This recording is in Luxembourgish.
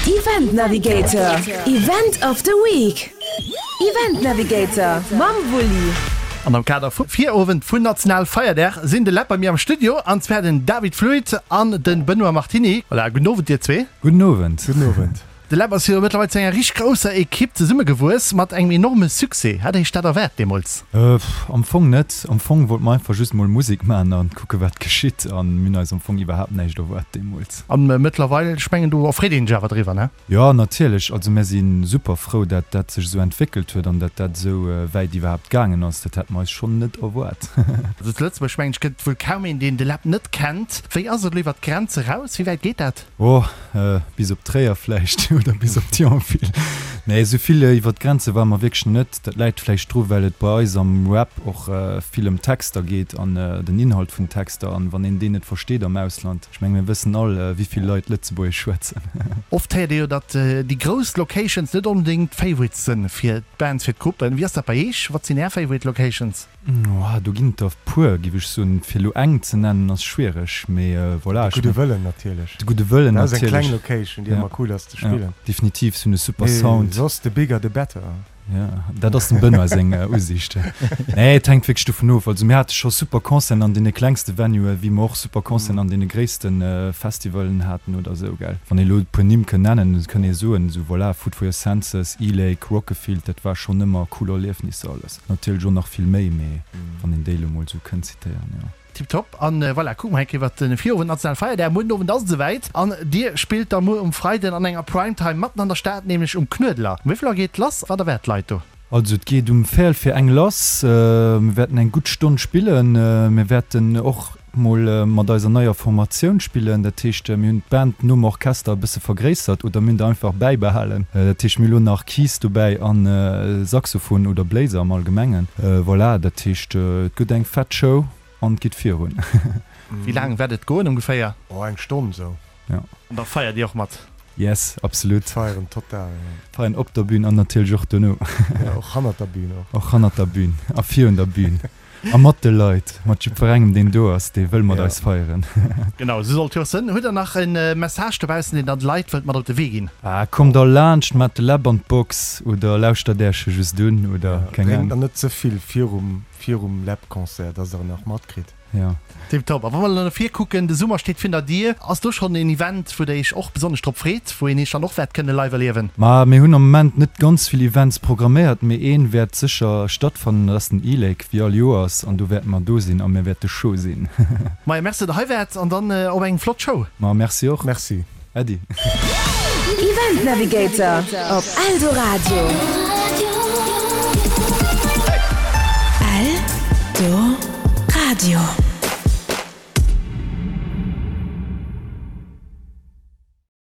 Event Navigator, Event of the Week. Event Navigator mam Wulli. An am Kader vum Virowend vun Nationalfeierdag sinn de Läb bei mir am Studio, an zwar den David Fluit an den Benoît Martini. Voilà, gudden Owend dir zwee. Gudden Owend. Gudden Owend. De Läb ass jo mëttlerweil zu enger richteg grousser Ekipp zesummegewuess, mat engem enorme Succès. Hat Iech dat erwaart deemools? Am Fong net. Am Fong wollt mer einfach just mol Musek maachen an kucke wat geschitt an mir hunn eis am Fong iwwerhaapt näischt erwaart deemools. An mëttlerweil, ech mengen do erfreet een sech awer driwwer, ne? Jo, natierlech. Also mär si super frou, dat dat sech esou entwéckelt huet an dat dat esou wäit iwwerhaapt gaangen ass. Dat hätte mer eis schonn net erwaart. Also zu Lëtzebuerg, mengen ech, gëtt et wuel kaum een, deen de Läb net kennt. Wéi ass et elo iwwer d'Grenz eraus? Wéi wäit geet dat? Oh, bis op Tréier vläicht oder bis op Thionville. Nee, esou vill iwwer d'Grenze ware mer wierklech net. Dat läit vläicht dru well et bei eis am Rap och vill ëm Texter geet an den Inhalt vun Texter. An wann een deen net versteet am Ausland, ech menge mir wëssen all, wéi vill Leit Lëtzebuergesch schwätzen. Oft héiert ee jo, datt déi grouss Locations net onbedéngt d'Favorites sënn fir d'Bands, fir d'Gruppen. Wéi ass dat bei Iech? Wat sinn Är Favorite Locations? Oh, do ginn et der puer, giff ech soen. Fir elo eng ze nennen ass schwiereg, mee voilà. De Gudde Wëllen natierlech. De Gudde Wëllen natierlech. Dat ass eng kleng Location, déi ëmmer cool ass ze spillen. Ja, definitiv, se hunn e super Sound. Mee soss, the bigger the better. Ja, dat ass dem Benoît seng Usiicht. Nee, et hänkt wierklech dovun of. Also mir hate scho super Concerten an deene klengste Venuen, wéi mer och super Concerten an deene gréisste Festivalen haten oder esou, gell. Wann ee elo e puer Nimm kënnt nennen, kënnt ee soen, esou voilà, Food for your Senses, E-Lake, Rockefield, dat war schonn ëmmer cool Erliefnisser alles. Natierlech och nach vill méi, mee wann een déi elo mol esou kënnt zitéieren, jo. Tiptop. An voilà, kucke mer eng Kéier iwwert de Virowend, national Feierdag. Muer den Owend ass et esouwäit an dir spillt da muer um Freiden an enger Primetime matten an der Stad, nämlech um Knuedler. Um wéi vill Auer geet et lass? Wat erwaart d'Leit do? Also et geet um véierel fir eng lass. Mir wäerten eng gutt Stonn spillen. Mir wäerten och mol mat eiser neier Formatioun spillen. Dat heescht, mir hunn d'Band nom Orchester e bësse vergréissert oder mir hunn der einfach bäibehalen. Dat heescht, mir hu lo nach Keys dobäi a Saxophon oder Bléiser am Allgemengen. Voilà, dat heescht, et gëtt eng fett Show an et geet virun. Wéi laang wäert et goen ongeféier? Oh, eng Stonn esou. Ja. An da feiert Dir och mat? Yes, absolut. Feieren total, ja. Feieren op der Bühn an natierlech och dono. Ja, och hannert der Bühn och. Och hannert der Bühn a virun der Bühn. A mat de Leit, mat jiddwerengem deen do ass, dee wëll mat eis feieren. Genau, esou sollt jo och sënn. Hutt der nach en Message dobaussen, deen der de Leit wëllt mat op de Wee ginn? Ah, kommt all laanscht, maacht de Läb an d'Box oder lauschtert Äerch e just un oder keng Ahnung. Drénkt der net ze vill virum virum Läb-Concert, dass der en nach matkritt. Jo. Tiptop. A wa mer elo no vir kucken, de Summer steet virun der Dier. Ass do schonn een Event, wou der Iech och besonnesch drop freet, wou een Iech dann och wäert kënne live erliewen? Ma mir hunn am Moment net ganz vill Events programméiert, mee een wäert sécher stattfannen, dat ass den E-Lake, wéi all Joers, an do wäerte mer do sinn a mir wäerte chaud sinn. Maja, merci datt der hei waart an dann op eng flott Show. Ma merci och. Merci. Äddi. Event Navigator op Eldoradio.